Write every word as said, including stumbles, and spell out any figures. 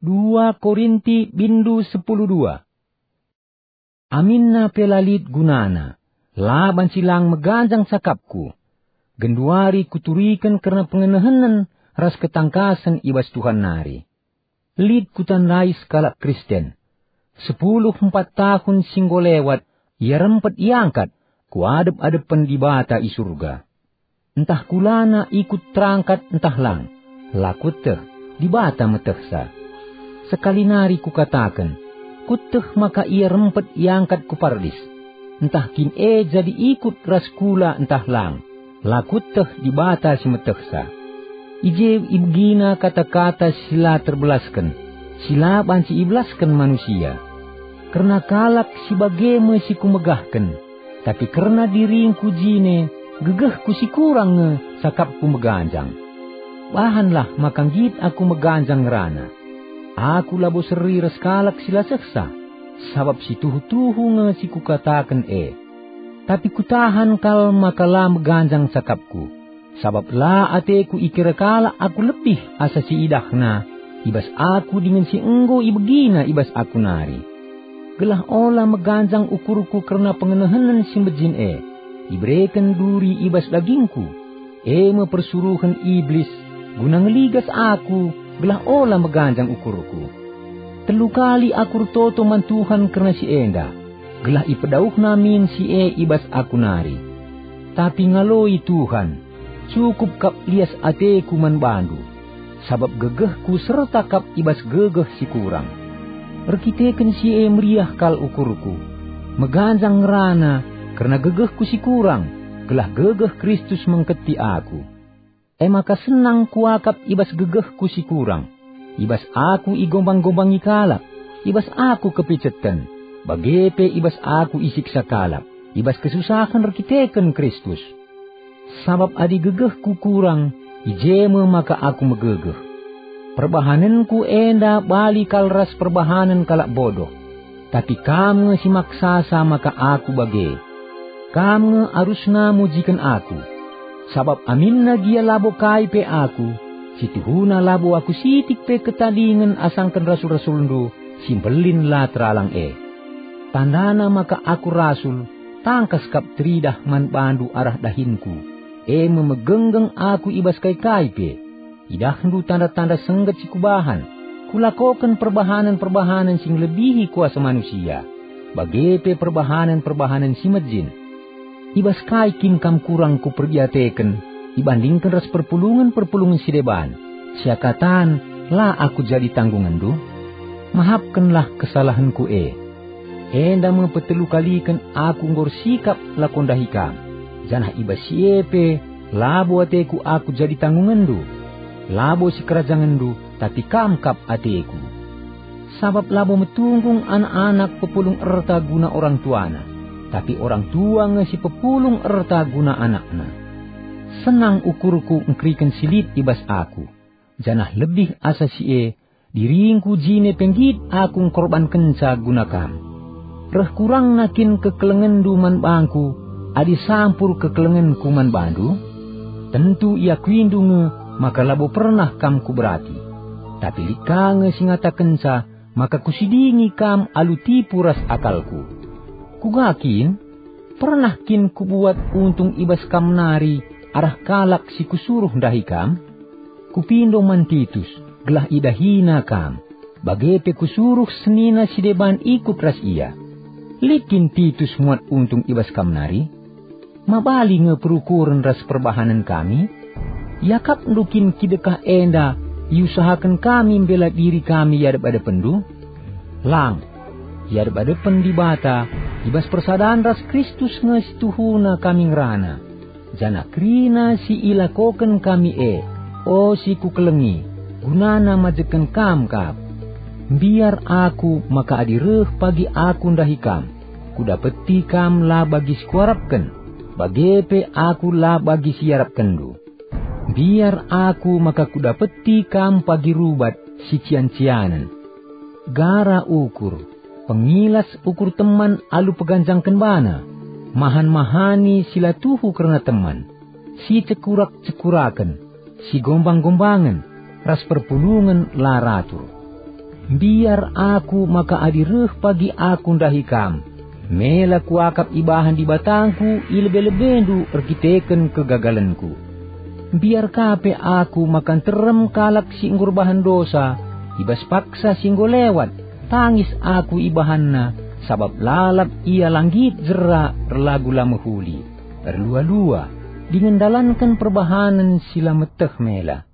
Dua Korinti bindu sepuluh dua. Aminna pe la lit gunana, la banci lang meganjang cakapku. Genduari kuturiken kerna pengenehenen ras ketangkasen i bas Tuhan nari. Lit kutandai sekalak Kristen. Sepuluh empat tahun si enggo lewat, ia rempet iangkat ku adep-adepen Dibata i Surga. Ntah kulana ikut terangkat ntah lang, la kueteh, Dibata metehsa. Sekali nari kukataken, kueteh maka ia rempet iangkat ku Pardis. Ntah kin e jadi ikut ras kula ntah lang, la kueteh, Dibata si metehsa. I je ibegina kata-kata si la terbelasken, si la banci ibelasken manusia. Kerna kalak si bage me si kumegahken, tapi kerna diringku jine, gegehku si kurang nge cakapku meganjang. Bahanlah maka nggit aku meganjang ngerana. Aku labo seri ras kalak si la sehsa, sabap si tuhu-tuhu nge si kukataken e. Tapi kutahan kal maka la meganjang cakapku, sabap la ateku ikira kalak aku lebih asa si idahna i bas aku dingen si enggo ibegina i bas aku nari. Gelah ola meganjang ukurku kerna pengenehenen si mejin e, ibereken duri i bas dagingku, e me persuruhen Iblis, guna ngeligas aku, gelah ola meganjang ukurku. Telu kali aku ertoto man Tuhan kerna si enda, gelah ipedauhNa min si e i bas aku nari. Tapi ngaloi Tuhan, "Cukup kap lias ateku man bandu, sabap gegehku serta kap i bas gegeh si kurang." Erkiteken si e meriah kal ukurku, meganjang ngerana kerna gegehku si kurang, gelah gegeh Kristus mengketi aku. E maka senang kuakap i bas gegehku si kurang, i bas aku igombang-gombangi kalak, i bas aku kepiceten, bage pe i bas aku isiksa kalak, i bas kesusahen erkiteken Kristus. Sabap adi gegehku kurang, i je me maka aku megegeh. Perbahanenku enda bali kal ras perbahanen kalak bodoh. Tapi kam nge si maksasa maka aku bage. Kam nge arusna mujiken aku. Sabap aminna gia labo kai pe aku, si tuhuna labo aku sitik pe ketadingen asangken rasul-rasulndu si mbelin la teralang e. Tandana maka aku rasul, tangkas kap teridah man bandu arah dahinku, e me megenggeng aku i bas kai-kai pe. Idahndu tanda-tanda sengget si kubahan, kulakoken perbahanen-perbahanen si ngelebihi kuasa manusia, bage pe perbahanen-perbahanen si mejin. I bas kai kin kam kurang kuperdiateken ibandingken ras perpulungen-perpulungen si deban, seakatan la aku jadi tanggungenndu? Mahapkenlah kesalahenku e. Enda me petelu kaliken aku enggo ersikap lako ndahi kam, janah i bas si e pe labo ateku aku jadi tanggungenndu. Labo sikerajangenndu, tapi kam kap ateku. Sabap labo metunggung anak-anak pepulung erta guna orang tuana, tapi orang tua nge si pepulung erta guna anakna. Senang ukurku engkeriken si lit i bas aku, janah lebih asa si e, diringku jine pe nggit aku engkorbankenca guna kam. Reh kurangna kin kekelengenndu man bangku, adi sampur kekelengenku man bandu? Tentu iakuindu nge maka labo pernah kam kuberati. Tapi lit ka nge si ngatakenca maka kusidingi kam alu tipu ras akalku. Kuga kin? Pernah kin kubuat untung i bas kam nari arah kalak si kusuruh ndahi kam? Kupindo man Titus, gelah idahina kam, bage pe kusuruh senina si deban ikut ras ia. Lit kin Titus muat untung i bas kam nari? Mabali nge perukuren ras perbahanen kami? Iakapndu kin kidekah enda iusahaken kami mbela diri kami i adep-adepenndu? Lang! I adep-adepen Dibata, i bas persadan ras Kristus nge si tuhuna kami ngerana, janah kerina si ilakoken kami e, o si kukelengi, gunana majeken kam kap. Mbiar aku maka adi reh pagi aku ndahi kam, kudapeti kam la bagi si kuarapken, bage pe aku la bagi si iarapkenndu. Mbiar aku maka kudapeti kam pagi rubat si cian-cianen. Gara ukur, pengilas ukur teman alu peganjangken bana, mahan-mahani si la tuhu kerna teman, si cekurak-cekuraken, si gombang-gombangen, ras perpulungen la ratur. Mbiar aku maka adi reh pagi aku ndahi kam, mela kuakap ibahan Dibatangku i lebe-lebendu erkiteken kegagalenku. Mbiar ka pe aku maka nterem kalak si enggo erbahan dosa, i bas paksa si enggo lewat, tangis aku ibahanna, sabap lalap ia la nggit jera erlagu la mehuli, erlua-lua, dingen ndalanken perbahanen si la meteh mela.